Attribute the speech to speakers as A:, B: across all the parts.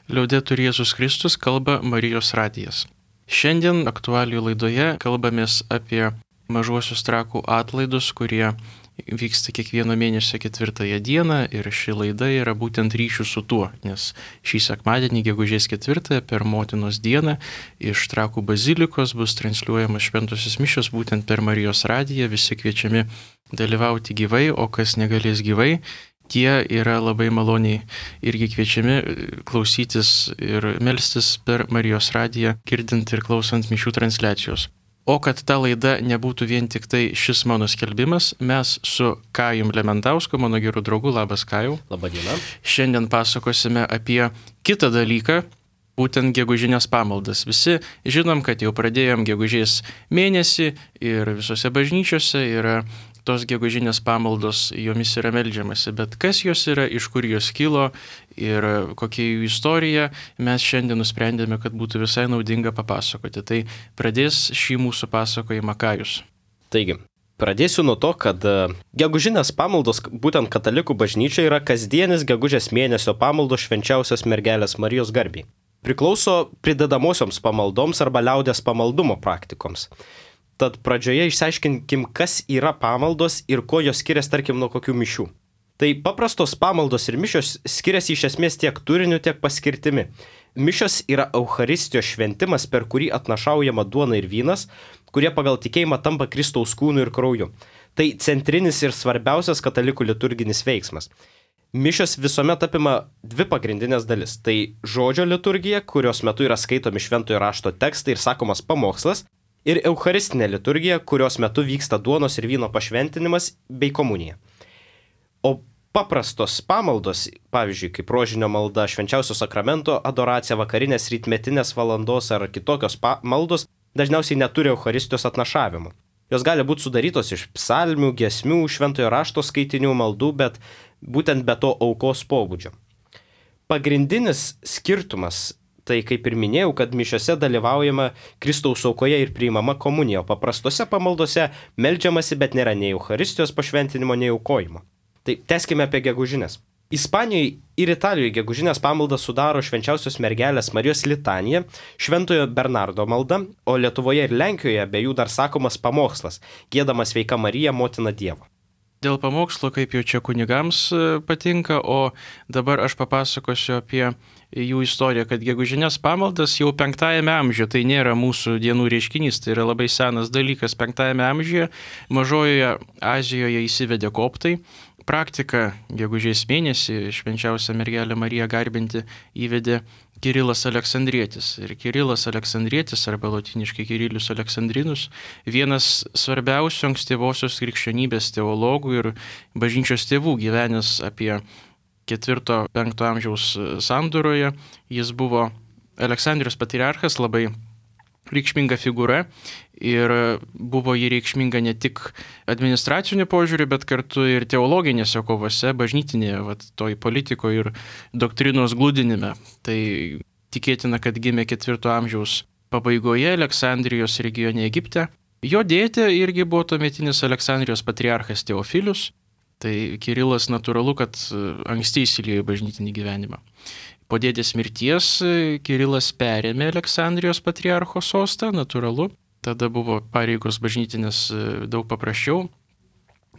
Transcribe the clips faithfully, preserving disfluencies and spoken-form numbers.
A: Liaudetur Jėzus Kristus, kalba Marijos radijas. Šiandien aktualijų laidoje kalbamės apie mažuosius trakų atlaidus, kurie vyksta kiekvieno mėnesio ketvirtąją dieną, ir ši laida yra būtent ryšių su tuo, nes šį sekmadienį, gegužės ketvirtąją, per Motinos dieną iš Trakų bazilikos bus transliuojamas šventosios mišios būtent per Marijos radiją. Visi kviečiami dalyvauti gyvai, o kas negalės gyvai, tie yra labai maloniai irgi kviečiami klausytis ir melstis per Marijos radiją, girdint ir klausant mišių transliacijos. O kad ta laida nebūtų vien tik tai šis mano skelbimas, mes su Kajum Lementausku, mano geru draugu, labas Kajau.
B: Labadiena.
A: Šiandien pasakosime apie kitą dalyką, būtent gegužinės pamaldas. Visi žinom, kad jau pradėjom gegužės mėnesį ir visose bažnyčiose yra tos gegužinės pamaldos, jomis yra meldžiamasi, bet kas jos yra, iš kur jos kilo ir kokia jų istorija, mes šiandien nusprendėme, kad būtų visai naudinga papasakoti. Tai pradės šį mūsų pasakojimą Kajus.
B: Taigi, pradėsiu nuo to, kad gegužinės pamaldos būtent katalikų bažnyčia yra kasdienis gegužės mėnesio pamaldos švenčiausios mergelės Marijos garbei. Priklauso pridedamosioms pamaldoms arba liaudės pamaldumo praktikoms. Tad pradžioje išsiaiškinkim, kas yra pamaldos ir kuo jos skiriasi, tarkim, nuo kokių mišių. Tai paprastos pamaldos ir mišios skiriasi iš esmės tiek turiniu, tiek paskirtimi. Mišios yra Eucharistijos šventimas, per kurį atnašaujama duona ir vynas, kurie pagal tikėjimą tampa Kristaus kūnu ir krauju. Tai centrinis ir svarbiausias katalikų liturginis veiksmas. Mišios visuomet apima dvi pagrindinės dalis. Tai žodžio liturgija, kurios metu yra skaitomi šventojo rašto tekstai ir sakomas pamokslas, ir eucharistinė liturgija, kurios metu vyksta duonos ir vyno pašventinimas bei komunija. O paprastos pamaldos, pavyzdžiui, kaip rožinio malda, švenčiausio sakramento adoracija, vakarinės rytmetinės valandos ar kitokios maldos, dažniausiai neturi Eucharistijos atnašavimo. Jos gali būti sudarytos iš psalmių, giesmių, šventojo rašto skaitinių, maldų, bet būtent be to aukos pobūdžio. Pagrindinis skirtumas, tai kaip ir minėjau, kad mišiose dalyvaujama Kristaus aukoje ir priimama komunija, o paprastose pamaldose meldžiamasi, bet nėra nei Eucharistijos pašventinimo, nei aukojimo. Tai tęskime apie gegužinės. Ispanijoje ir Italijoje gegužinės pamaldas sudaro švenčiausios mergelės Marijos litanija, šventojo Bernardo malda, o Lietuvoje ir Lenkijoje be jų dar sakomas pamokslas, giedamas Sveika Marija, motina Dievo.
A: Dėl pamokslo, kaip jau čia kunigams patinka, o dabar aš papasakosiu apie jų istoriją, kad gegužinės pamaldas jau penktajame amžiuje, tai nėra mūsų dienų reiškinys, tai yra labai senas dalykas. Penktajame amžiuje Mažojoje Azijoje įsivedė koptai. Praktika gegužės mėnesį švenčiausią mergelę Mariją garbinti įvedė Kirilas Aleksandrietis. Ir Kirilas Aleksandrietis, arba lotyniškai Kirilius Aleksandrinus, vienas svarbiausių ankstyvosios krikščionybės teologų ir bažnyčios tėvų, gyvenęs apie ketvirto penkto amžiaus sandūroje. Jis buvo Aleksandrijos patriarchas, labai reikšminga figūra, ir buvo jį reikšminga ne tik administraciniu požiūriu, bet kartu ir teologinėse kovose, bažnytinėje, vat, toj politikoje ir doktrinos glūdinime. Tai tikėtina, kad gimė ketvirto amžiaus pabaigoje Aleksandrijos regione Egipte. Jo dėtė irgi buvo tuometinis Aleksandrijos patriarchas Teofilius. Tai Kirilas natūralu, kad anksti įsiliejo į bažnytinį gyvenimą. Po dėdės mirties Kirilas perėmė Aleksandrijos patriarcho sostą, natūralu. Tada buvo pareigos bažnytinės daug paprasčiau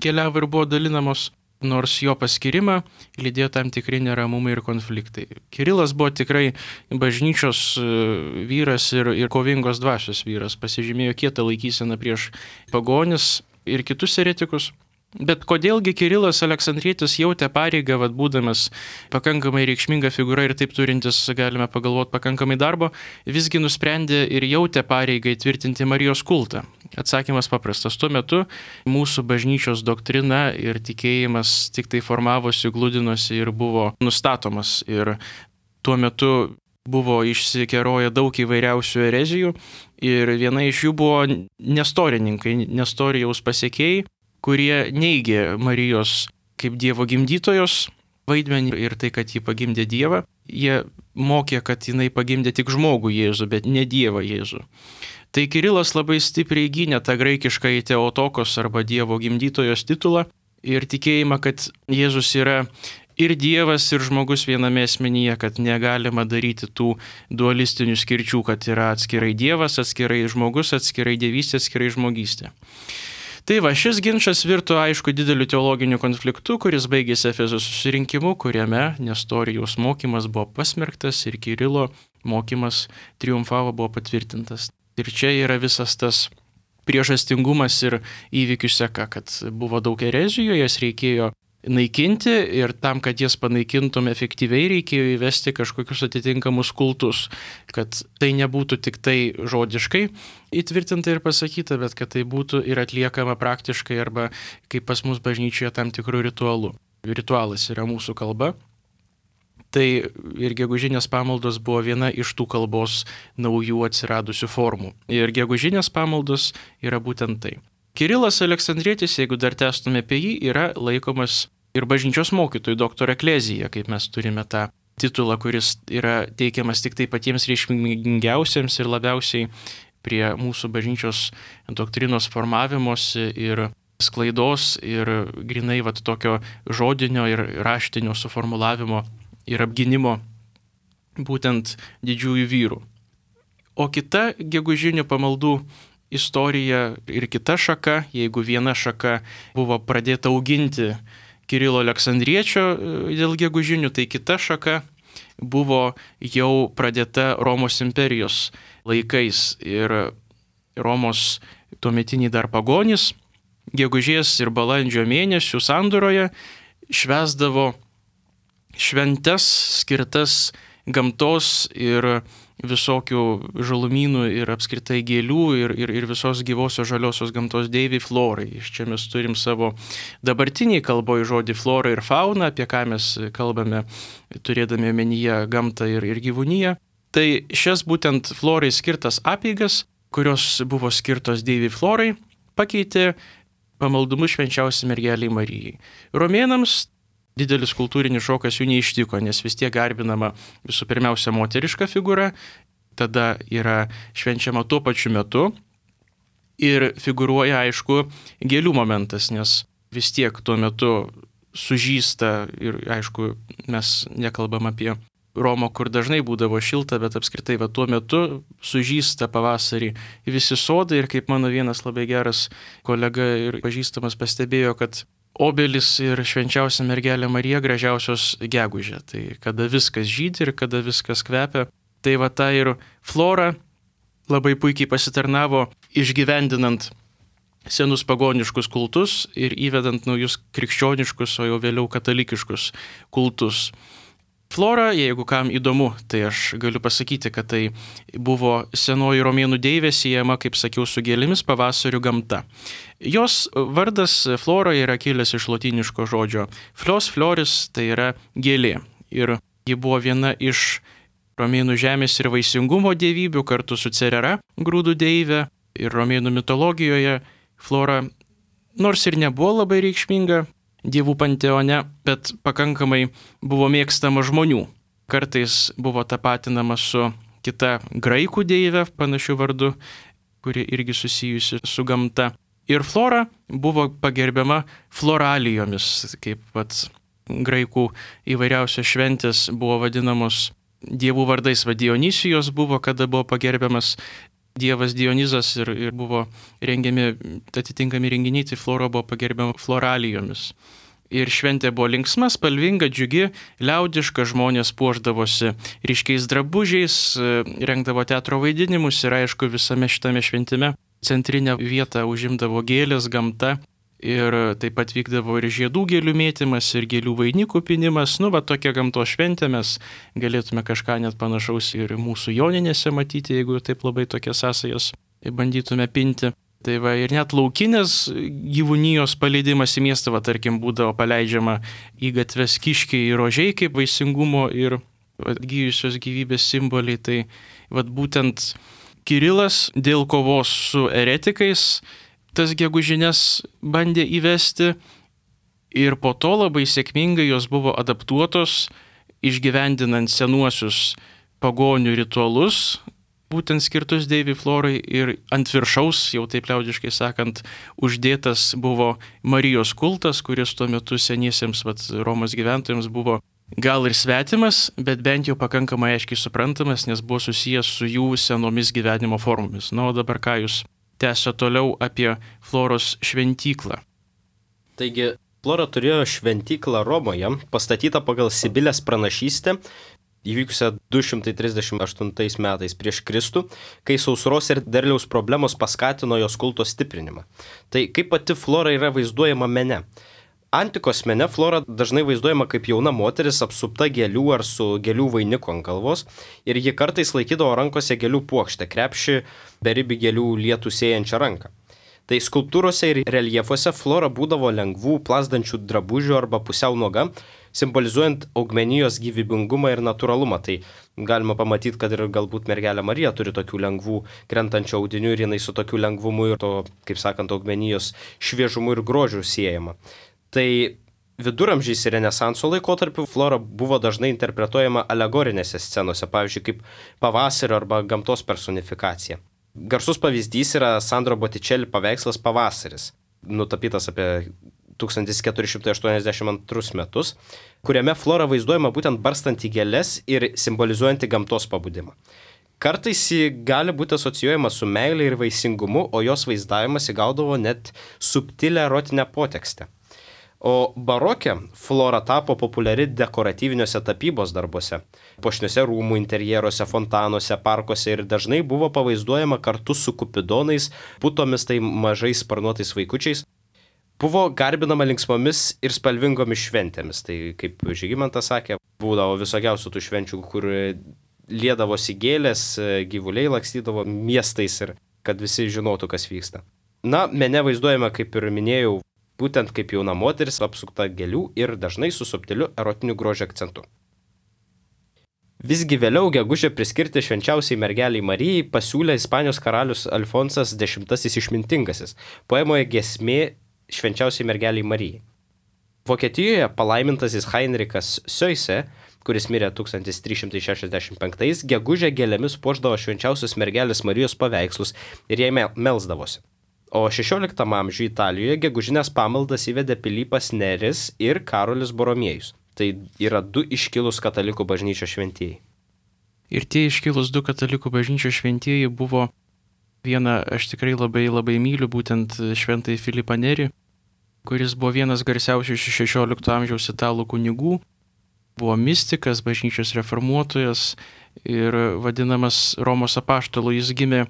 A: keliavo ir buvo dalinamos, nors jo paskirimą lydėjo tam tikri neramumai ir konfliktai. Kirilas buvo tikrai bažnyčios vyras ir, ir kovingos dvasios vyras, pasižymėjo kietą laikyseną prieš pagonis ir kitus eretikus. Bet kodėlgi Kirilas Aleksandrietis jautė pareigą, vad būdamas pakankamai reikšminga figūra ir taip turintis, galime pagalvoti, pakankamai darbo, visgi nusprendė ir jautė pareigą įtvirtinti Marijos kultą? Atsakymas paprastas. Tuo metu mūsų bažnyčios doktrina ir tikėjimas tik tai formavosi, glūdinosi ir buvo nustatomas. Ir tuo metu buvo išsikeroję daug įvairiausių erezijų ir viena iš jų buvo nestorininkai, nestorijaus pasiekėjai, kurie neigė Marijos kaip Dievo gimdytojos vaidmenį ir tai, kad ji pagimdė Dievą. Jie mokė, kad jinai pagimdė tik žmogų Jėzų, bet ne Dievą Jėzų. Tai Kirilas labai stipriai gynė tą graikiškąjį Teotokos arba Dievo gimdytojos titulą ir tikėjimą, kad Jėzus yra ir Dievas, ir žmogus viename asmenyje, kad negalima daryti tų dualistinių skirčių, kad yra atskirai Dievas, atskirai žmogus, atskirai dievystė, atskirai žmogystė. Tai va, šis ginčas virto, aišku, dideliu teologiniu konfliktu, kuris baigėsi Efezo susirinkimu, kuriame Nestorijos mokymas buvo pasmerktas ir Kirilo mokymas triumfavo, buvo patvirtintas. Ir čia yra visas tas priežastingumas ir įvykių seka, kad buvo daug erezijų, jas reikėjo naikinti ir tam, kad jas panaikintum efektyviai, reikėjo įvesti kažkokius atitinkamus kultus, kad tai nebūtų tik tai žodiškai įtvirtinta ir pasakyta, bet kad tai būtų ir atliekama praktiškai arba kaip pas mus bažnyčioje tam tikrų ritualų. Ritualas yra mūsų kalba. Tai ir gegužinės pamaldos buvo viena iš tų kalbos naujų atsiradusių formų. Ir gegužinės pamaldos yra būtent tai. Kirilas Aleksandrietis, jeigu dar tęstume apie jį, yra laikomas ir bažnyčios mokytojų doktor eklezija, kaip mes turime tą titulą, kuris yra teikiamas tik tai patiems reikšmingiausiems ir labiausiai prie mūsų bažnyčios doktrinos formavimosi ir sklaidos ir grinai vat tokio žodinio ir raštinio suformulavimo ir apginimo būtent didžiųjų vyrų. O kita gegužinių pamaldų istorija ir kita šaka, jeigu viena šaka buvo pradėta auginti Kirilo Aleksandriečio dėl gegužinių, tai kita šaka buvo jau pradėta Romos imperijos laikais ir Romos tuometiniai dar pagonys gegužės ir balandžio mėnesių sandūroje švęsdavo šventes skirtas gamtos ir visokių žalumynų ir apskritai gėlių ir, ir, ir visos gyvosios žaliosios gamtos deivei florai. Iš čia mes turim savo dabartiniai kalboje žodį flora ir fauna, apie ką mes kalbame turėdami omenyje gamtą ir, ir gyvūniją. Tai šias būtent florai skirtas apeigas, kurios buvo skirtos deivei florai, pakeitė pamaldumu švenčiausiai mergelei Marijai. Romėnams didelis kultūrinis šokas jų neištiko, nes vis tiek garbinama visų pirmiausia moteriška figūra, tada yra švenčiama tuo pačiu metu ir figūruoja, aišku, gėlių momentas, nes vis tiek tuo metu sužysta ir, aišku, mes nekalbam apie Romą, kur dažnai būdavo šilta, bet apskritai va, tuo metu sužysta pavasarį visi sodai ir kaip mano vienas labai geras kolega ir pažįstamas pastebėjo, kad obelis ir švenčiausia mergelė Marija gražiausios gegužė. Tai kada viskas žydi ir kada viskas kvepia. Tai va ta ir flora labai puikiai pasitarnavo išgyvendinant senus pagoniškus kultus ir įvedant naujus krikščioniškus, o jau vėliau katalikiškus kultus. Flora, jeigu kam įdomu, tai aš galiu pasakyti, kad tai buvo senoji romėnų deivė siejama, kaip sakiau, su gėlėmis pavasarių gamta. Jos vardas Flora yra kilęs iš lotyniško žodžio flos floris, tai yra gėlė. Ir ji buvo viena iš romėnų žemės ir vaisingumo dievybių kartu su Cerera, grūdų deivė. Ir romėnų mitologijoje Flora, nors ir nebuvo labai reikšminga dievų panteone, bet pakankamai buvo mėgstama žmonių. Kartais buvo tapatinama su kita graikų deivė, panašiu vardu, kuri irgi susijusi su gamta. Ir Flora buvo pagerbiama floralijomis, kaip pat graikų įvairiausios šventės buvo vadinamos dievų vardais. Va Dionysijos buvo, kada buvo pagerbiamas dievas Dionizas ir, ir buvo rengiami atitinkami renginiai, tai Flora buvo pagerbiama floralijomis. Ir šventė buvo linksma, spalvinga, džiugi, liaudiška, žmonės puošdavosi ryškiais drabužiais, rengdavo teatro vaidinimus ir aišku visame šitame šventime centrinę vietą užimdavo gėlės, gamta ir taip pat vykdavo ir žiedų gėlių mėtymas ir gėlių vainikų pinimas. Nu, va tokia gamtos šventė, mes galėtume kažką net panašaus ir mūsų joninėse matyti, jeigu taip labai tokias sąsajas bandytume pinti. Tai va ir net laukinės gyvūnijos paleidimas į miestą, va tarkim, būdavo paleidžiama į gatves kiškiai ir rožiai kaip vaisingumo ir atgyjusios gyvybės simboliai. Tai va būtent Kirilas dėl kovos su eretikais tas gegužines bandė įvesti ir po to labai sėkmingai jos buvo adaptuotos, išgyvendinant senuosius pagonių ritualus, būtent skirtus Deivei Florai ir ant viršaus, jau taip liaudiškai sakant, uždėtas buvo Marijos kultas, kuris tuo metu seniesiems vat, Romos gyventojams buvo gal ir svetimas, bet bent jau pakankamai aiškiai suprantamas, nes buvo susijęs su jų senomis gyvenimo formomis. Na, o dabar ką jūs tęsio toliau apie Floros šventyklą.
B: Taigi, Flora turėjo šventyklą Romoje, pastatytą pagal Sibilės pranašystę, įvykusią du šimtai trisdešimt aštuntais metais prieš Kristų, kai sausros ir derliaus problemos paskatino jos kulto stiprinimą. Tai kaip pati Flora yra vaizduojama mene? Antikos mene Flora dažnai vaizduojama kaip jauna moteris apsupta gėlių ar su gėlių vainiku ant galvos ir ji kartais laikydavo rankose gėlių puokštę, krepšį beribį gėlių lietų sėjančią ranką. Tai skulptūrose ir reljefuose Flora būdavo lengvų, plazdančių drabužių arba pusiau nuoga, simbolizuojant augmenijos gyvybingumą ir natūralumą. Tai galima pamatyti, kad ir galbūt mergelė Marija turi tokių lengvų krentančių audinių ir jinai su tokiu lengvumu ir to, kaip sakant, augmenijos šviežumu ir grožiu siejama. Tai viduramžiais ir Renesanso laikotarpiu Flora buvo dažnai interpretuojama alegorinėse scenose, pavyzdžiui, kaip pavasario arba gamtos personifikacija. Garsus pavyzdys yra Sandro Botticelli paveikslas Pavasaris, nutapytas apie tūkstantis keturi šimtai aštuoniasdešimt antrus metus, kuriame Flora vaizduojama būtent barstanti gėles ir simbolizuojanti gamtos pabudimą. Kartais ji gali būti asocijuojama su meilė ir vaisingumu, o jos vaizdavimas įgaudavo net subtilę erotinę potekstę. O barokė Flora tapo populiari dekoratyviniuose tapybos darbuose, puošniuose rūmų interjeruose, fontanuose, parkuose ir dažnai buvo pavaizduojama kartu su kupidonais, putomis, tai mažais sparnuotais vaikučiais. Buvo garbinama linksmomis ir spalvingomis šventėmis, tai kaip Žygimantas sakė, būdavo visokiausių tų švenčių, kur liedavosi gėlės, gyvuliai lakstydavo miestais ir kad visi žinotų, kas vyksta. Na, mene vaizduojama, kaip ir minėjau, būtent kaip jauna moteris apsukta gėlių ir dažnai su subtiliu erotiniu grožio akcentu. Visgi vėliau gegužę priskirti švenčiausiai mergeliai Marijai pasiūlė Ispanijos karalius Alfonsas X išmintingasis poemoje Giesmė švenčiausiai mergeliai Marijai. Vokietijoje palaimintasis Heinrichas Seuse, kuris mirė tūkstantis trys šimtai šešiasdešimt penktais, gegužę gėlėmis puošdavo švenčiausios mergelės Marijos paveikslus ir jai melsdavosi. O šešioliktame amžiuje Italijoje gegužinės pamaldas įvedė Pilypas Neris ir Karolis Boromiejus. Tai yra du iškilūs katalikų bažnyčios šventieji.
A: Ir tie iškilūs du katalikų bažnyčios šventieji buvo vieną, aš tikrai labai labai myliu, būtent šventąjį Filipą Nerį, kuris buvo vienas garsiausių šešiolikto amžiaus italų kunigų, buvo mistikas, bažnyčios reformuotojas ir vadinamas Romos apaštalu. Jis gimė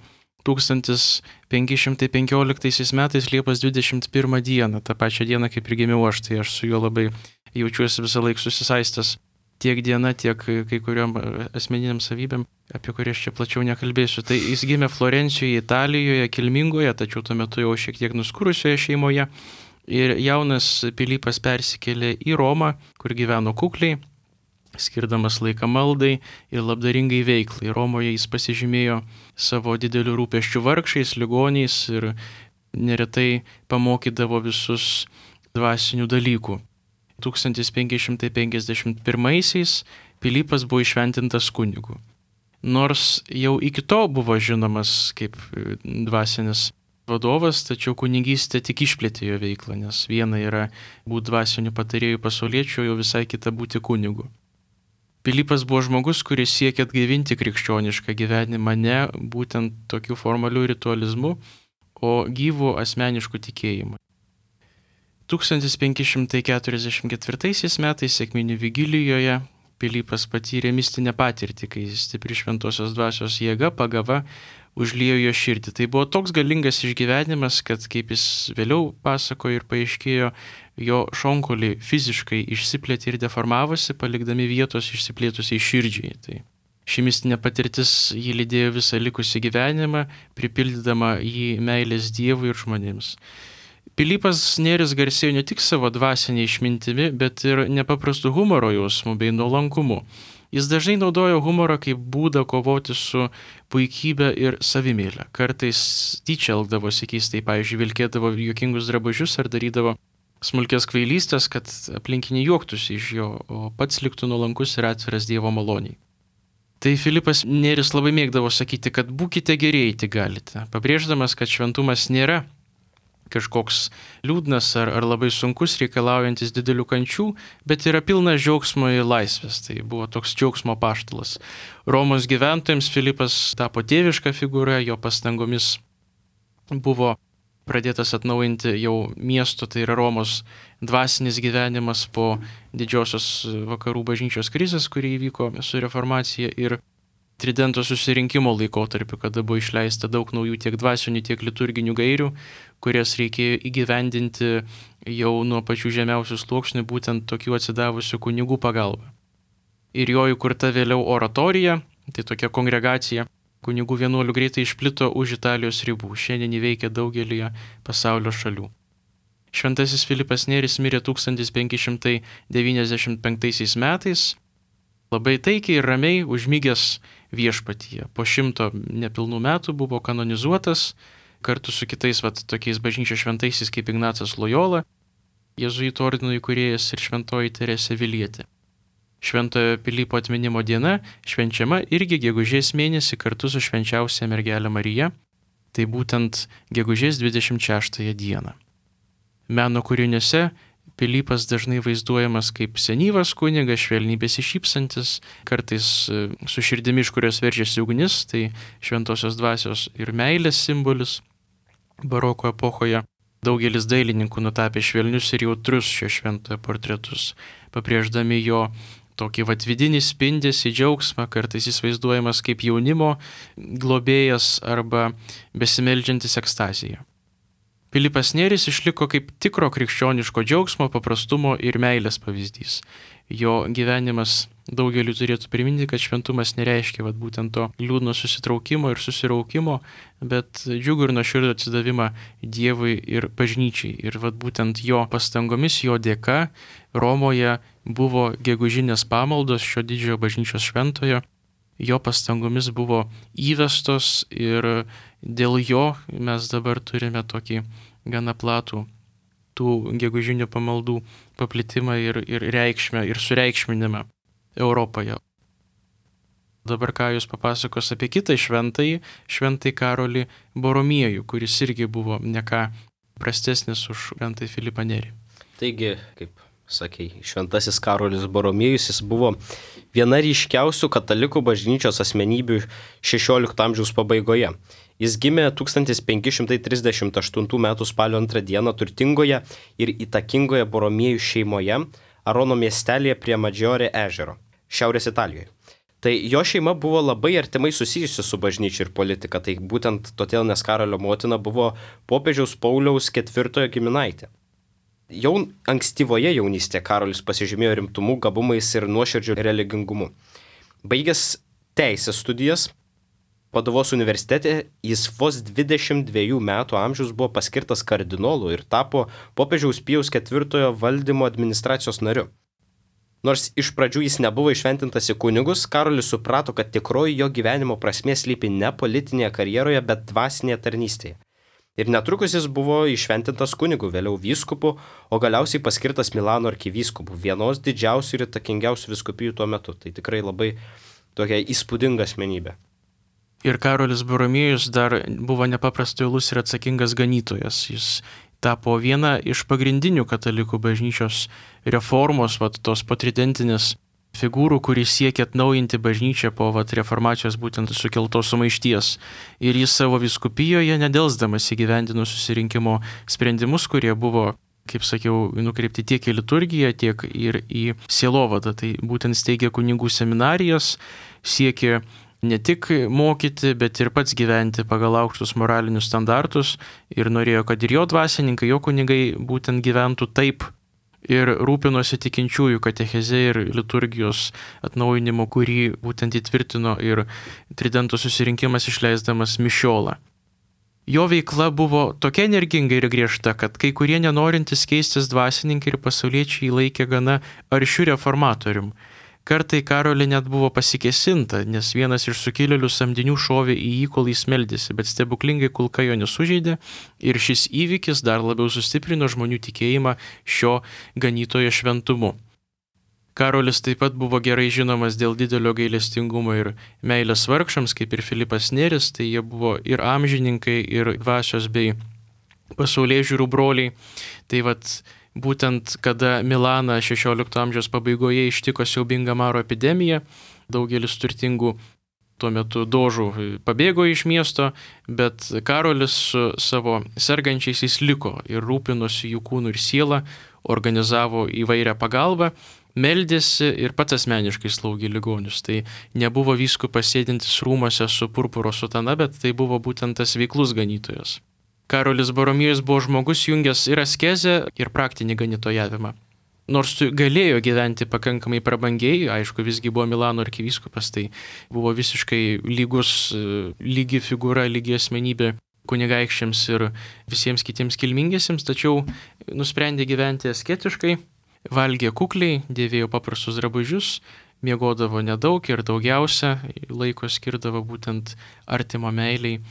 A: tūkstantis penki šimtai penkioliktaisiais metais Liepos dvidešimt pirmą dieną, tą pačią dieną kaip ir gimiau aš, tai aš su juo labai jaučiuosi visą laiką susisaistęs tiek diena, tiek kai kuriuom asmeniniam savybėm, apie kurias čia plačiau nekalbėsiu. Tai jis gimė Florencijoje, Italijoje, kilmingoje, tačiau tuo metu jau šiek tiek nuskurusioje šeimoje ir jaunas Pilypas persikėlė į Romą, kur gyveno kukliai, skirdamas laiką maldai ir labdaringai veiklai. Romoje jis pasižymėjo savo didelių rūpesčių vargšais, ligoniais ir neretai pamokydavo visus dvasinių dalykų. tūkstantis penki šimtai penkiasdešimt pirmaisiais Pilypas buvo įšventintas kunigu. Nors jau iki to buvo žinomas kaip dvasinis vadovas, tačiau kunigystė tik išplėtė jo veiklą, nes viena yra būti dvasiniu patarėjų pasauliečiu, jau visai kita būti kunigu. Pilypas buvo žmogus, kuris siekė atgaivinti krikščionišką gyvenimą ne būtent tokiu formaliu ritualizmu, o gyvų asmeniškų tikėjimų. tūkstantis penki šimtai keturiasdešimt ketvirtaisiais metais sekminių vigilijoje Pilypas patyrė mistinę patirtį, kai stipri šventosios dvasios jėga pagava užliejo jo širdį. Tai buvo toks galingas išgyvenimas, kad kaip jis vėliau pasakojo ir paaiškėjo, jo šonkauliai fiziškai išsiplėtė ir deformavosi, palikdami vietos išsiplėtusiai širdžiai. Tai ši mistinė patirtis jį lydėjo visą likusį gyvenimą, pripildydama jį meilės Dievui ir žmonėms. Pilypas Neris garsėjo ne tik savo dvasinė išmintimi, bet ir nepaprastu humoro jausmu bei nuolankumu. Jis dažnai naudojo humorą kaip būdą kovoti su puikybė ir savimėlė. Kartais tyčia elgdavosi keistai, pavyzdžiui, vilkėdavo juokingus drabužius ar darydavo smulkės kvailystės, kad aplinkiniai juoktųsi iš jo, o pats liktų nuolankus ir atviras Dievo maloniai. Tai Filipas Nėris labai mėgdavo sakyti, kad būkite geri, eiti galite, pabrėždamas, kad šventumas nėra kažkoks liūdnas ar, ar labai sunkus, reikalaujantis didelių kančių, bet yra pilnas džiaugsmo ir laisvės. Tai buvo toks džiaugsmo apaštalas. Romos gyventojams Filipas tapo tėviška figūra, jo pastangomis buvo pradėtas atnaujinti jau miesto, tai yra Romos dvasinis gyvenimas po didžiosios vakarų bažnyčios krizės, kuri įvyko su reformacija ir Tridento susirinkimo laikotarpiu, kada buvo išleista daug naujų tiek dvasinių, tiek liturginių gairių, kurias reikėjo įgyvendinti jau nuo pačių žemiausių sluoksnių, būtent tokių atsidavusių kunigų pagalba. Ir jo įkurta vėliau oratorija, tai tokia kongregacija kunigų vienuolių greitai išplito už Italijos ribų, šiandien įveikia daugelį pasaulio šalių. Šventasis Filipas Nėris mirė tūkstantis penki šimtai devyniasdešimt penktaisiais metais, labai taikiai ir ramiai užmygęs viešpatyje. Po šimto nepilnų metų buvo kanonizuotas kartu su kitais vat, tokiais bažnyčios šventaisiais kaip Ignacas Lojola, jėzuitų ordino įkūrėjas ir šventoji Teresė Vilietė. Šventojo Pilypo atminimo diena švenčiama irgi gegužės mėnesį kartu su švenčiausia mergelė Marija, tai būtent gegužės dvidešimt šeštąją dieną. Meno kūriniuose Pilypas dažnai vaizduojamas kaip senyvas kunigas, švelniai besišypsantis, kartais su širdimi, iš kurios veržiasi ugnis, tai šventosios dvasios ir meilės simbolis. Baroko epochoje daugelis dailininkų nutapė švelnius ir jautrus šio šventojo portretus, pabrėždami jo tokį vat vidinį spindesį, džiaugsmą, kartais jis vaizduojamas kaip jaunimo globėjas arba besimeldžiantis ekstaziją. Filipas Nėris išliko kaip tikro krikščioniško džiaugsmo, paprastumo ir meilės pavyzdys. Jo gyvenimas daugeliu turėtų priminti, kad šventumas nereiškia vat, būtent to liūdno susitraukimo ir susiraukimo, bet džiugų ir nuoširdų atsidavimą Dievui ir bažnyčiai. Ir vat, būtent jo pastangomis, jo dėka Romoje buvo gegužinės pamaldos šio didžiojo bažnyčios šventojo. Jo pastangomis buvo įvestos ir dėl jo mes dabar turime tokį gana platų tų gegužinių pamaldų paplitimą ir, ir reikšmę ir sureikšminimą Europoje. Dabar ką jūs papasakos apie kitą šventąjį, šventąjį Karolį Boromiejų, kuris irgi buvo ne ką prastesnis už šventąjį Filipą Nėrį.
B: Taigi, kaip sakei, šventasis Karolis Boromiejus, jis buvo viena ryškiausių katalikų bažnyčios asmenybių šešiolikto amžiaus pabaigoje. Jis gimė tūkstantis penki šimtai trisdešimt aštuntų metų spalio antrą dieną turtingoje ir įtakingoje Boromiejų šeimoje Arono miestelėje prie Maggiore ežero, šiaurės Italijoje. Tai jo šeima buvo labai artimai susijusi su bažnyčia ir politika, tai būtent todėl, nes Karolio motina buvo popiežiaus Pauliaus ketvirtojo giminaitė. Jau ankstyvoje jaunystėje Karolis pasižymėjo rimtumu, gabumais ir nuoširdžiu religingumu. Baigęs teisės studijas Paduvos universitete, jis vos dvidešimt dviejų metų amžiaus buvo paskirtas kardinolu ir tapo popiežiaus Pijaus ketvirtojo valdymo administracijos nariu. Nors iš pradžių jis nebuvo išventintas į kunigus, Karolis suprato, kad tikroji jo gyvenimo prasmė slypi ne politinėje karjeroje, bet dvasinėje tarnystėje. Ir netrukus jis buvo išventintas kunigu, vėliau vyskupu, o galiausiai paskirtas Milano arkivyskupu, vienos didžiausių ir įtakingiausių vyskupijų tuo metu. Tai tikrai labai tokia įspūdinga asmenybė.
A: Ir Karolis Boromiejus dar buvo nepaprastai uolus ir atsakingas ganytojas. Jis tapo viena iš pagrindinių katalikų bažnyčios reformos, vat, tos patridentinės figūrų, kuris siekia atnaujinti bažnyčią po vat, reformacijos būtent sukeltos sumaišties. Ir jis savo vyskupijoje nedelsdamas įgyvendino susirinkimo sprendimus, kurie buvo, kaip sakiau, nukreipti tiek į liturgiją, tiek ir į sielovadą. Tai būtent steigė kunigų seminarijas, siekė ne tik mokyti, bet ir pats gyventi pagal aukštus moralinius standartus ir norėjo, kad ir jo dvasininkai, jo kunigai būtent gyventų taip ir rūpinosi tikinčiųjų katecheze ir liturgijos atnaujinimu, kurį būtent įtvirtino ir Tridento susirinkimas išleisdamas mišiolą. Jo veikla buvo tokia energinga ir griežta, kad kai kurie nenorintys keistis dvasininkai ir pasauliečiai laikė gana aršiu reformatorium. Kartai Karolį net buvo pasikesinta, nes vienas iš sukilėlių samdinių šovė į jį, kol jis meldėsi, bet stebuklingai kulka jo nesužeidė ir šis įvykis dar labiau sustiprino žmonių tikėjimą šio ganytojo šventumu. Karolis taip pat buvo gerai žinomas dėl didelio gailestingumo ir meilės vargšams, kaip ir Filipas Nėris, tai jie buvo ir amžininkai, ir dvasios bei pasaulėžiūrų broliai. Tai vat būtent kada Milaną šešiolikto amžiaus pabaigoje ištiko siaubinga maro epidemija, daugelis turtingų tuo metu dožų pabėgo iš miesto, bet Karolis su savo sergančiaisiais liko ir rūpinosi jų kūnų ir sielą, organizavo įvairią pagalbą, meldėsi ir pats asmeniškai slaugė ligonius. Tai nebuvo vyskupas sėdintis rūmose su purpuro sutana, bet tai buvo būtent tas veiklus ganytojas. Karolis Boromiejus buvo žmogus jungęs ir askezę, ir praktinį ganytojavimą. Nors galėjo gyventi pakankamai prabangiai, aišku, visgi buvo Milano arkivyskupas, tai buvo visiškai lygus, lygi figūra, lygi asmenybė kunigaikščiams ir visiems kitiems kilmingiesiems, tačiau nusprendė gyventi asketiškai, valgė kukliai, dėvėjo paprastus drabužius, miegodavo nedaug ir daugiausia laiko skirdavo būtent artimo meiliai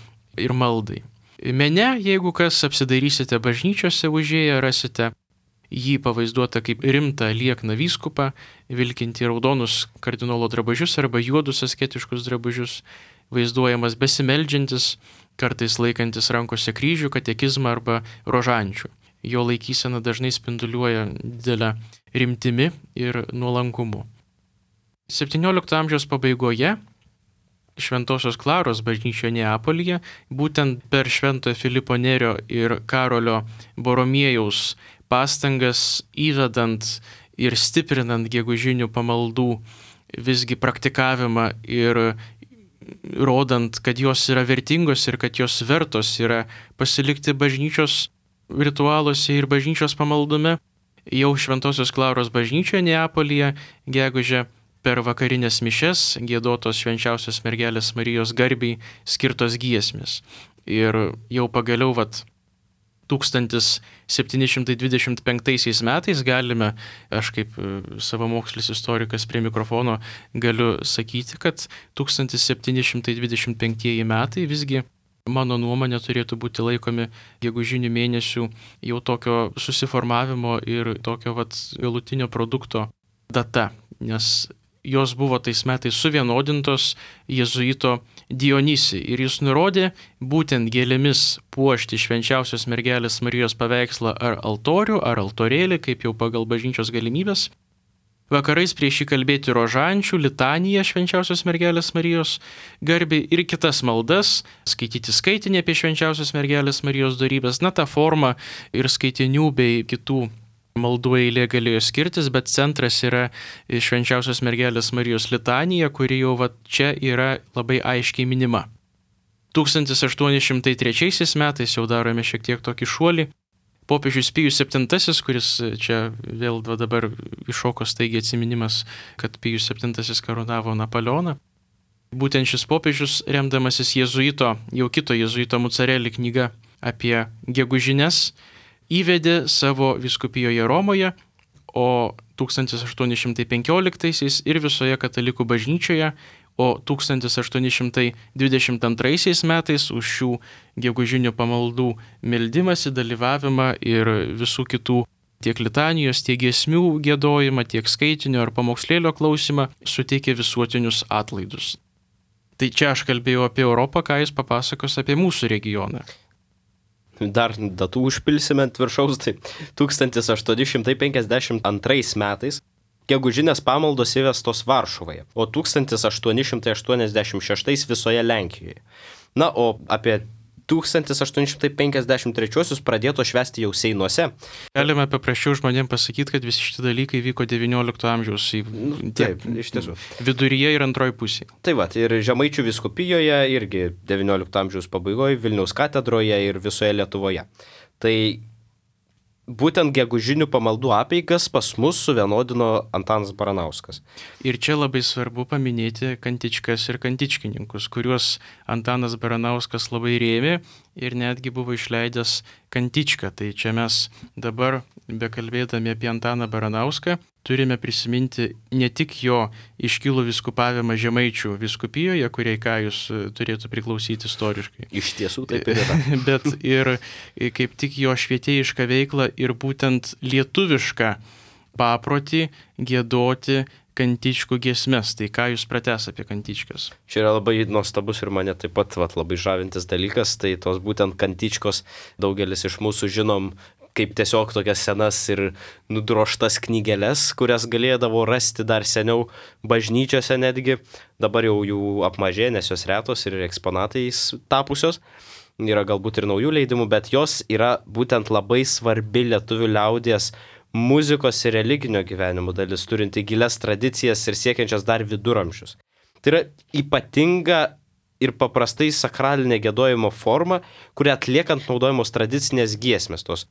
A: ir maldai. Mene, jeigu kas apsidairysite bažnyčiose užėję, rasite jį pavaizduota kaip rimtą liekną vyskupą, vilkinti raudonus kardinolo drabužius arba juodus asketiškus drabužius, vaizduojamas besimeldžiantis, kartais laikantis rankose kryžių, katekizmą arba rožančių. Jo laikysena dažnai spinduliuoja didelę rimtimi ir nuolankumu. septyniolikto amžiaus pabaigoje Šventosios Klaros bažnyčioje Neapolyje, būtent per Šventojo Filipo Nerio ir Karolio Boromiejaus pastangas įvedant ir stiprinant gegužinių pamaldų visgi praktikavimą ir rodant, kad jos yra vertingos ir kad jos vertos yra pasilikti bažnyčios ritualuose ir bažnyčios pamaldume, jau Šventosios Klaros bažnyčioje Neapolyje gegužę per vakarinės mišes giedotos švenčiausios mergelės Marijos garbei skirtos giesmės. Ir jau pagaliau vat tūkstantis septyni šimtai dvidešimt penktaisiais metais galime, aš kaip savamokslis istorikas prie mikrofono galiu sakyti, kad tūkstantis septyni šimtai dvidešimt penktieji metai visgi, mano nuomonė, turėtų būti laikomi gegužinių mėnesių jau tokio susiformavimo ir tokio vat galutinio produkto data, nes jos buvo tais metais suvienodintos jėzuito Dionysį ir jis nurodė būtent gėlėmis puošti švenčiausios mergelės Marijos paveikslą ar altorių, ar altorėlį, kaip jau pagal bažnyčios galimybės. Vakarais prieš jį kalbėti rožančių, litaniją švenčiausios mergelės Marijos garbei ir kitas maldas, skaityti skaitinį apie švenčiausios mergelės Marijos dorybės, na, tą formą ir skaitinių bei kitų maldų eilė galėjo skirtis, bet centras yra švenčiausios mergelės Marijos litanija, kuri jau va čia yra labai aiškiai minima. tūkstantis aštuoni šimtai trečiaisiais metais jau darome šiek tiek tokį šuolį. Popiežius Pijus septintasis, kuris čia vėl dabar iššoko staigiai atsiminimas, kad Pijus septintasis karūnavo Napoleoną. Būtent šis popiežius, remdamasis jėzuito, jau kito jėzuito Mucarelli knyga apie gegužines, įvedė savo vyskupijoje Romoje, o tūkstantis aštuoni šimtai penkioliktaisiais ir visoje katalikų bažnyčioje, o tūkstantis aštuoni šimtai dvidešimt antraisiais metais už šių gegužinių pamaldų meldimąsi, dalyvavimą ir visų kitų tiek litanijos, tiek giesmių giedojimą, tiek skaitinio ar pamokslėlio klausimą suteikė visuotinius atlaidus. Tai čia aš kalbėjau apie Europą, ką jis papasakos apie mūsų regioną.
B: Dar datų užpilsime ant viršaus, tai tūkstantis aštuoni šimtai penkiasdešimt antrais metais gegužinės pamaldos įvestos Varšuvoje, o tūkstantis aštuoni šimtai aštuoniasdešimt šeštais visoje Lenkijoje. Na, o apie tūkstantis aštuoni šimtai penkiasdešimt trečiuosius pradėto švęsti jau Seinuose.
A: Galime paprasčiau žmonėms pasakyti, kad visi šitie dalykai vyko devyniolikto amžiaus
B: nu, taip, iš tiesų.
A: Viduryje ir antroji pusėje.
B: Tai va, ir Žemaičių vyskupijoje irgi devyniolikto amžiaus pabaigoje, Vilniaus katedroje ir visoje Lietuvoje. Tai būtent gegužinių pamaldų apeigas pas mus suvienodino Antanas Baranauskas.
A: Ir čia labai svarbu paminėti kantičkas ir kantičkininkus, kuriuos Antanas Baranauskas labai rėmė ir netgi buvo išleidęs kantičką. Tai čia mes dabar, bekalbėdami apie Antaną Baranauską, turime prisiminti ne tik jo iškilų vyskupavimą Žemaičių vyskupijoje, kuriai Kajus turėtų priklausyti istoriškai.
B: Iš tiesų taip ir yra.
A: Bet ir kaip tik jo švietėjišką veiklą ir būtent lietuvišką paprotį giedoti kantičkų giesmes. Tai ką jūs pratęs apie kantičkas?
B: Čia yra labai nuostabus ir mane taip pat vat, labai žavintis dalykas, tai tos būtent kantičkos daugelis iš mūsų žinom kaip tiesiog tokias senas ir nudroštas knygeles, kurias galėdavo rasti dar seniau bažnyčiose netgi. Dabar jau jų apmažė, nes jos retos ir eksponatais tapusios. Yra galbūt ir naujų leidimų, bet jos yra būtent labai svarbi lietuvių liaudies muzikos ir religinio gyvenimo dalis, turinti gilias tradicijas ir siekiančias dar viduramžius. Tai yra ypatinga ir paprastai sakralinė giedojimo forma, kuria atliekant naudojamos tradicinės giesmės, tos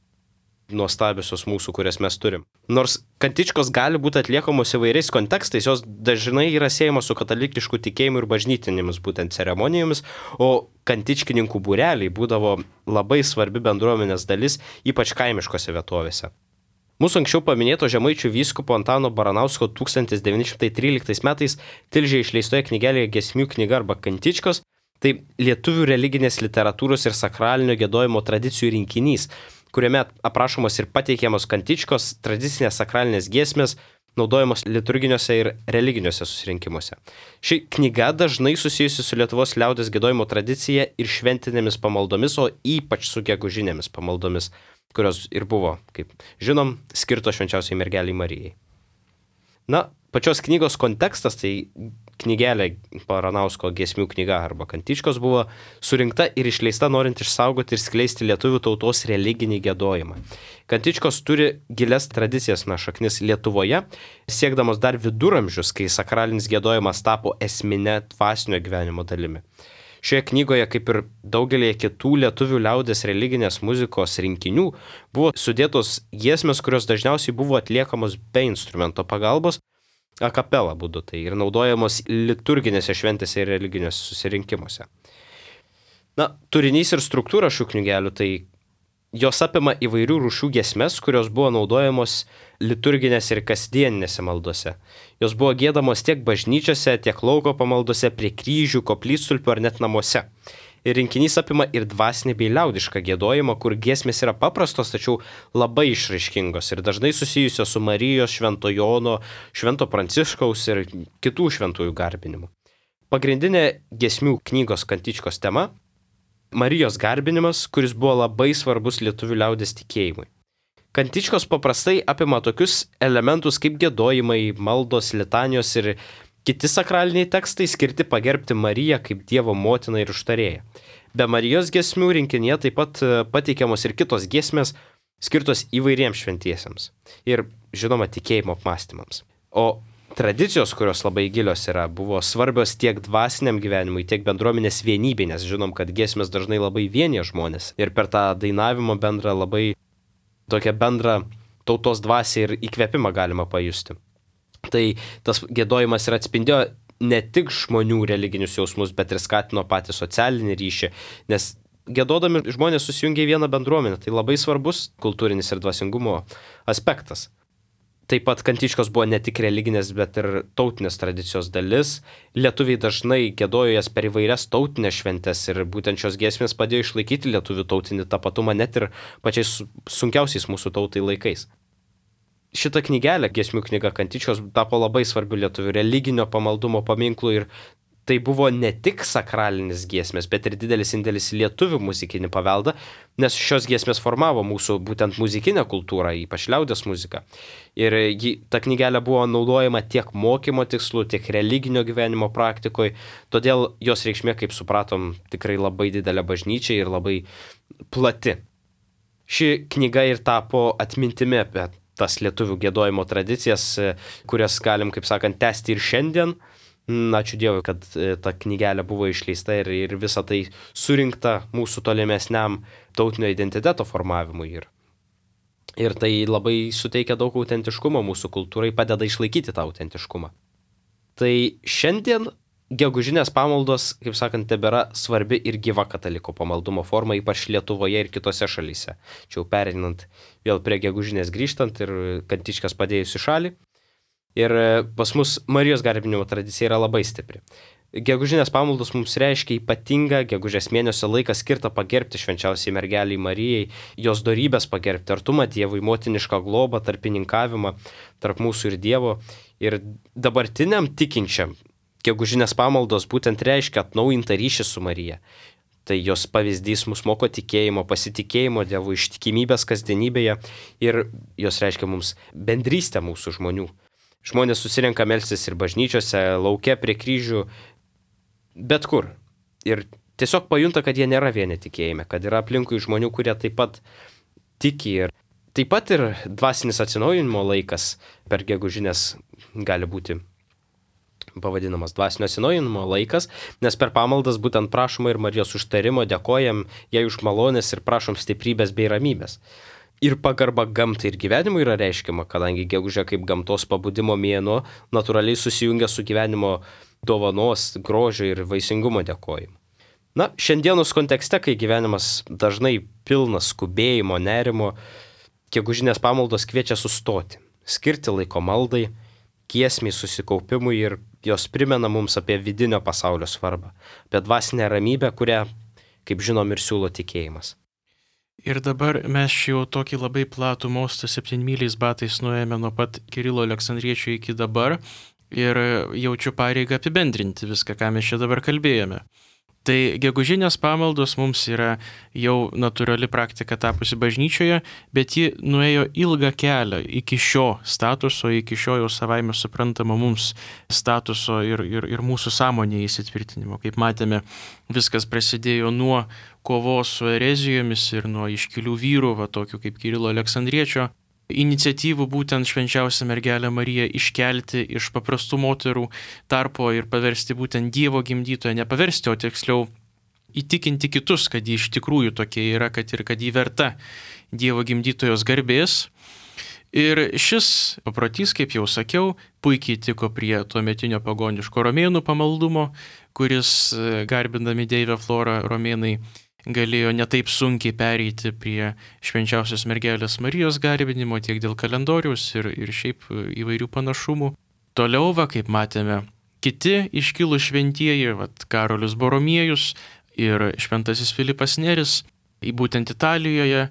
B: nuostabiosios mūsų, kurias mes turim. Nors kantičkos gali būti atliekamos įvairiais kontekstais, jos dažnai yra siejamos su katalikišku tikėjimu ir bažnytinėmis būtent ceremonijomis, o kantičkininkų būreliai būdavo labai svarbi bendruomenės dalis, ypač kaimiškose vietovėse. Mūsų anksčiau paminėto žemaičių vyskupo Antano Baranausko tūkstantis devyni šimtai tryliktais metais Tilžėje išleistoje knygelėje Giesmių knyga arba kantičkos, tai lietuvių religinės literatūros ir sakralinio giedojimo tradicijų rinkinys, kuriame aprašomos ir pateikiamos kantičkos, tradicinės sakralinės giesmės, naudojamos liturginiuose ir religiniuose susirinkimuose. Ši knyga dažnai susijusi su Lietuvos liaudies giedojimo tradicija ir šventinėmis pamaldomis, o ypač su gegužinėmis pamaldomis, kurios ir buvo, kaip žinom, skirtos švenčiausiai mergeliai Marijai. Na, pačios knygos kontekstas, tai knygelė Baranausko Giesmių knyga arba kantičkos buvo surinkta ir išleista norint išsaugoti ir skleisti lietuvių tautos religinį giedojimą. Kantičkos turi gilias tradicijas, na, šaknis Lietuvoje, siekdamos dar viduramžius, kai sakralinis giedojimas tapo esminė dvasinio gyvenimo dalimi. Šioje knygoje, kaip ir daugelį kitų lietuvių liaudės religinės muzikos rinkinių, buvo sudėtos giesmės, kurios dažniausiai buvo atliekamos be instrumento pagalbos, a capella būdu, tai ir naudojamos liturginėse šventėse ir religiniuose susirinkimuose. Na, turinys ir struktūra šių knygelių, tai jos apima įvairių rūšių giesmes, kurios buvo naudojamos liturginėse ir kasdieninėse maldose. Jos buvo giedamos tiek bažnyčiose, tiek lauko pamaldose, prie kryžių, koplytstulpių ar net namuose. Ir rinkinys apima ir dvasinį bei liaudišką giedojimą, kur giesmės yra paprastos, tačiau labai išraiškingos ir dažnai susijusios su Marijos, Švento Jono, Švento Pranciškaus ir kitų šventųjų garbinimu. Pagrindinė giesmių knygos kantičkos tema – Marijos garbinimas, kuris buvo labai svarbus lietuvių liaudės tikėjimui. Kantičkos paprastai apima tokius elementus kaip giedojimai, maldos, litanijos ir kiti sakraliniai tekstai skirti pagerbti Mariją kaip Dievo motiną ir užtarėją. Be Marijos giesmių rinkinyje taip pat pateikiamos ir kitos giesmės skirtos įvairiems šventiesiems ir, žinoma, tikėjimo apmąstymams. O tradicijos, kurios labai gilios yra, buvo svarbios tiek dvasiniam gyvenimui, tiek bendruomenės vienybei, nes žinom, kad giesmės dažnai labai vienija žmonės ir per tą dainavimo bendrą labai tokią bendrą tautos dvasią ir įkvėpimą galima pajusti. Tai tas giedojimas ir atspindėjo ne tik žmonių religinius jausmus, bet ir skatino patį socialinį ryšį, nes giedodami žmonės susijungia į vieną bendruomenę, tai labai svarbus kultūrinis ir dvasingumo aspektas. Taip pat kantičkos buvo ne tik religinės, bet ir tautinės tradicijos dalis. Lietuviai dažnai giedojo jas per įvairias tautinės šventes ir būtent šios giesmės padėjo išlaikyti lietuvių tautinį tapatumą net ir pačiais sunkiausiais mūsų tautai laikais. Šita knygelė, Giesmių knyga kantičkos, tapo labai svarbiu lietuvių religinio pamaldumo paminklu ir tai buvo ne tik sakralinis giesmės, bet ir didelis indėlis į lietuvių muzikinį paveldą, nes šios giesmės formavo mūsų būtent muzikinę kultūrą, ypač liaudies muziką. Ir ji, ta knygelė buvo naudojama tiek mokymo tikslu, tiek religinio gyvenimo praktikoje, todėl jos reikšmė, kaip supratom, tikrai labai didelė bažnyčia ir labai plati. Ši knyga ir tapo atmintimi apie tas lietuvių giedojimo tradicijas, kurias galim, kaip sakant, tęsti ir šiandien. Ačiū Dievui, kad ta knygelė buvo išleista ir, ir visa tai surinkta mūsų tolimesniam tautinio identiteto formavimui. Ir, ir tai labai suteikia daug autentiškumo mūsų kultūrai, padeda išlaikyti tą autentiškumą. Tai šiandien gegužinės pamaldos, kaip sakant, tebėra svarbi ir gyva katalikų pamaldumo forma, ypač Lietuvoje ir kitose šalyse. Čia jau pereinant vėl prie gegužinės grįžtant ir kantičkas padėjus į šalį. Ir pas mus Marijos garbinimo tradicija yra labai stipri. Gegužinės pamaldos mums reiškia ypatingą gegužės mėnesio laiką skirtą pagerbti švenčiausiai mergeliai Marijai, jos dorybės pagerbti, artumą Dievui, motinišką globą, tarpininkavimą tarp mūsų ir Dievo. Ir dabartiniam tikinčiam gegužinės pamaldos būtent reiškia atnaujintą ryšį su Marija. Tai jos pavyzdys mus moko tikėjimo, pasitikėjimo Dievu, ištikimybės kasdienybėje ir jos reiškia mums bendrystę mūsų žmonių. Žmonės susirenka melstis ir bažnyčiose, lauke, prie kryžių, bet kur. Ir tiesiog pajunta, kad jie nėra vieni tikėjime, kad yra aplinkui žmonių, kurie taip pat tiki. Ir taip pat ir dvasinis atsinaujinimo laikas per gegužinės gali būti pavadinamas dvasinio atsinaujinimo laikas, nes per pamaldas būtent prašoma ir Marijos užtarimo, dėkojam jai už malonės ir prašom stiprybės bei ramybės. Ir pagarba gamtai ir gyvenimui yra reiškiama, kadangi gegužė kaip gamtos pabudimo mėnuo natūraliai susijungia su gyvenimo dovanos, grožio ir vaisingumo dėkojimu. Na, šiandienos kontekste, kai gyvenimas dažnai pilnas skubėjimo, nerimo, gegužinės pamaldos kviečia sustoti, skirti laiko maldai, giesmiai, susikaupimui ir jos primena mums apie vidinio pasaulio svarbą, apie dvasinę ramybę, kurią, kaip žinom, ir siūlo tikėjimas.
A: Ir dabar mes jau tokį labai platų mostą septynmyliais batais nuėjome nuo pat Kirilo Aleksandriečio iki dabar ir jaučiu pareigą apibendrinti viską, ką mes čia dabar kalbėjome. Tai gegužinės pamaldos mums yra jau natūrali praktika tapusi bažnyčioje, bet ji nuėjo ilgą kelią iki šio statuso, iki šio jau savaime suprantamo mums statuso ir, ir, ir mūsų sąmonėje įsitvirtinimo. Kaip matėme, viskas prasidėjo nuo kovos su erezijomis ir nuo iškilių vyrų, va tokių kaip Kirilo Aleksandriečio, iniciatyvų būtent švenčiausią mergelę Mariją iškelti iš paprastų moterų tarpo ir paversti būtent Dievo gimdytoją, nepaversti, o tiksliau įtikinti kitus, kad ji iš tikrųjų tokia yra, kad ir kad ji verta Dievo gimdytojos garbės. Ir šis paprotys, kaip jau sakiau, puikiai tiko prie tuometinio pagoniško romėnų pamaldumo, kuris, garbindami Deivę Florą, romėnai galėjo netaip sunkiai pereiti prie švenčiausios mergelės Marijos garbinimo tiek dėl kalendoriaus ir, ir šiaip įvairių panašumų. Toliau, va, kaip matėme, kiti iškilų šventieji, va, Karolis Boromiejus ir šventasis Filipas Neris, į būtent Italijoje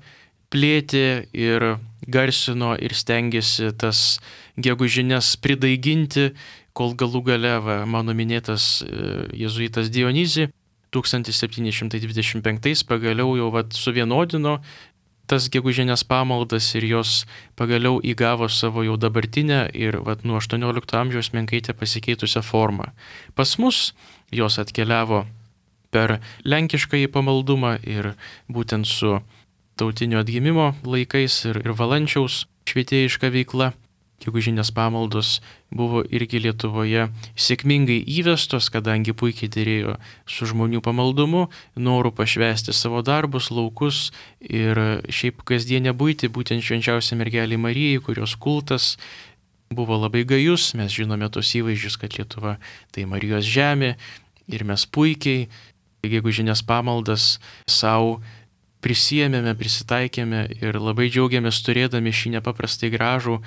A: plėtė ir garsino ir stengėsi tas gegužines pridaiginti, kol galų gale, va, mano minėtas jėzuitas Dionizį tūkstantis septyni šimtai dvidešimt penktais pagaliau jau vat, suvienodino tas gegužinės pamaldas ir jos pagaliau įgavo savo jau dabartinę ir vat, nuo aštuoniolikto amžiaus menkaitę pasikeitusią formą. Pas mus jos atkeliavo per lenkiškąjį pamaldumą ir būtent su tautinio atgimimo laikais ir, ir Valančiaus švietėjiška veikla. Gegužinės pamaldos buvo irgi Lietuvoje sėkmingai įvestos, kadangi puikiai dėrėjo su žmonių pamaldumu, noru pašvęsti savo darbus, laukus ir šiaip kasdienę buitį, būtent švenčiausiai mergelei Marijai, kurios kultas buvo labai gajus. Mes žinome tos įvaizdžius, kad Lietuva tai Marijos žemė ir mes puikiai gegužinės pamaldas savo prisijėmėme, prisitaikėme ir labai džiaugiamės turėdami šį nepaprastai gražų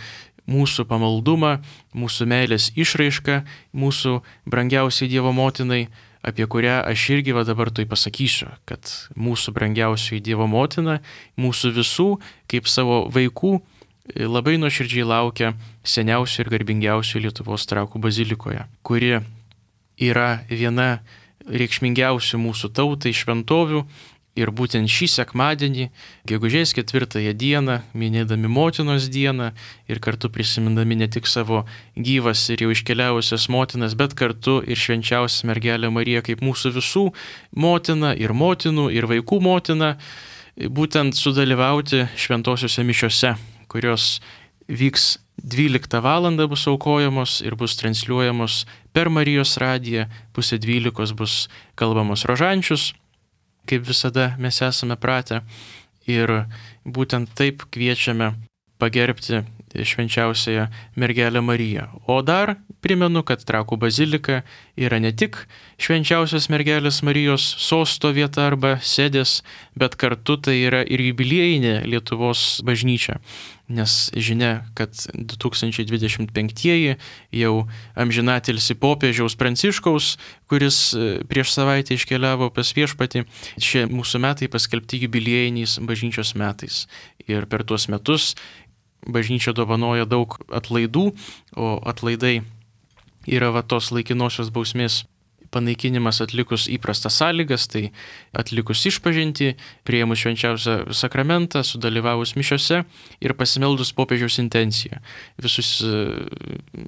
A: mūsų pamaldumą, mūsų meilės išraišką, mūsų brangiausiai Dievo motinai, apie kurią aš irgi va dabar tai pasakysiu, kad mūsų brangiausioji Dievo motina, mūsų visų, kaip savo vaikų, labai nuoširdžiai laukia seniausių ir garbingiausių Lietuvos Trakų bazilikoje, kuri yra viena reikšmingiausių mūsų tautai šventovių. Ir būtent šį sekmadienį, gegužės ketvirtąją dieną, minėdami motinos dieną ir kartu prisimindami ne tik savo gyvas ir jau iškeliavusias motinas, bet kartu ir švenčiausią mergelę Mariją kaip mūsų visų motina ir motinų ir vaikų motina, būtent sudalyvauti šventosiuose mišiose, kurios vyks dvyliktą valandą bus aukojamos ir bus transliuojamos per Marijos radiją, pusė dvylikos bus kalbamos rožančius, kaip visada mes esame pratę ir būtent taip kviečiame pagerbti švenčiausiąją mergelę Mariją. O dar primenu, kad Trakų bazilika yra ne tik švenčiausios mergelės Marijos sosto vieta arba sėdės, bet kartu tai yra ir jubiliejinė Lietuvos bažnyčia. Nes žinia, kad du tūkstančiai dvidešimt penktieji jau amžinatilsi popiežiaus Pranciškaus, kuris prieš savaitę iškeliavo pas viešpatį, šie mūsų metai paskelbti jubiliejiniais bažnyčios metais. Ir per tuos metus bažnyčia dovanoja daug atlaidų, o atlaidai yra va tos laikinosios bausmės panaikinimas atlikus įprastas sąlygas, tai atlikus išpažintį, priėmus švenčiausią sakramentą, sudalyvavus mišiose ir pasimeldus popiežiaus intenciją. Visus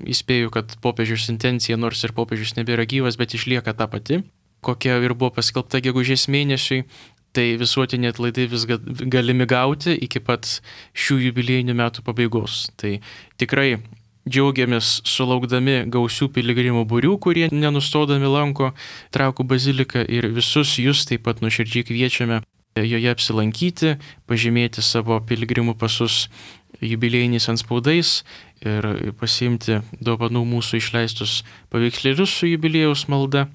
A: įspėju, kad popiežiaus intencija, nors ir popiežius nebėra gyvas, bet išlieka ta pati, kokia ir buvo paskelbta gegužės mėnesiui. Tai visuotiniai atlaidai vis galimi gauti iki pat šių jubiliejinių metų pabaigos. Tai tikrai džiaugiamės sulaukdami gausių piligrimų būrių, kurie nenustodami lanko Trakų baziliką, ir visus jūs taip pat nuoširdžiai kviečiame joje apsilankyti, pažymėti savo piligrimų pasus jubiliejiniais antspaudais ir pasiimti dovanų mūsų išleistus paveikslėlius su jubiliejaus malda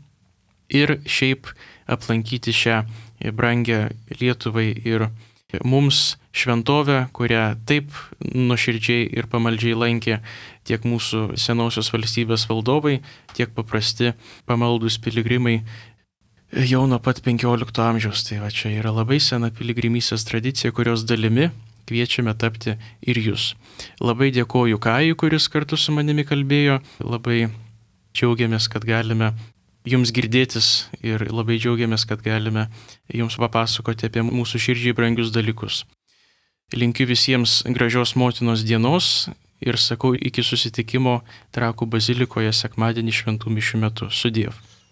A: ir šiaip aplankyti šią brangią Lietuvai ir mums šventovę, kurią taip nuoširdžiai ir pamaldžiai lankė tiek mūsų senosios valstybės valdovai, tiek paprasti pamaldus piligrimai jau nuo pat penkiolikto amžiaus. Tai va, čia yra labai sena piligrimystės tradicija, kurios dalimi kviečiame tapti ir jūs. Labai dėkoju Kajui, kuris kartu su manimi kalbėjo. Labai džiaugiamės, kad galime jums girdėtis ir labai džiaugiamės, kad galime jums papasakoti apie mūsų širdžiai brangius dalykus. Linkiu visiems gražios motinos dienos ir sakau iki susitikimo Trakų bazilikoje sekmadienį šventų mišių metu. Sudiev.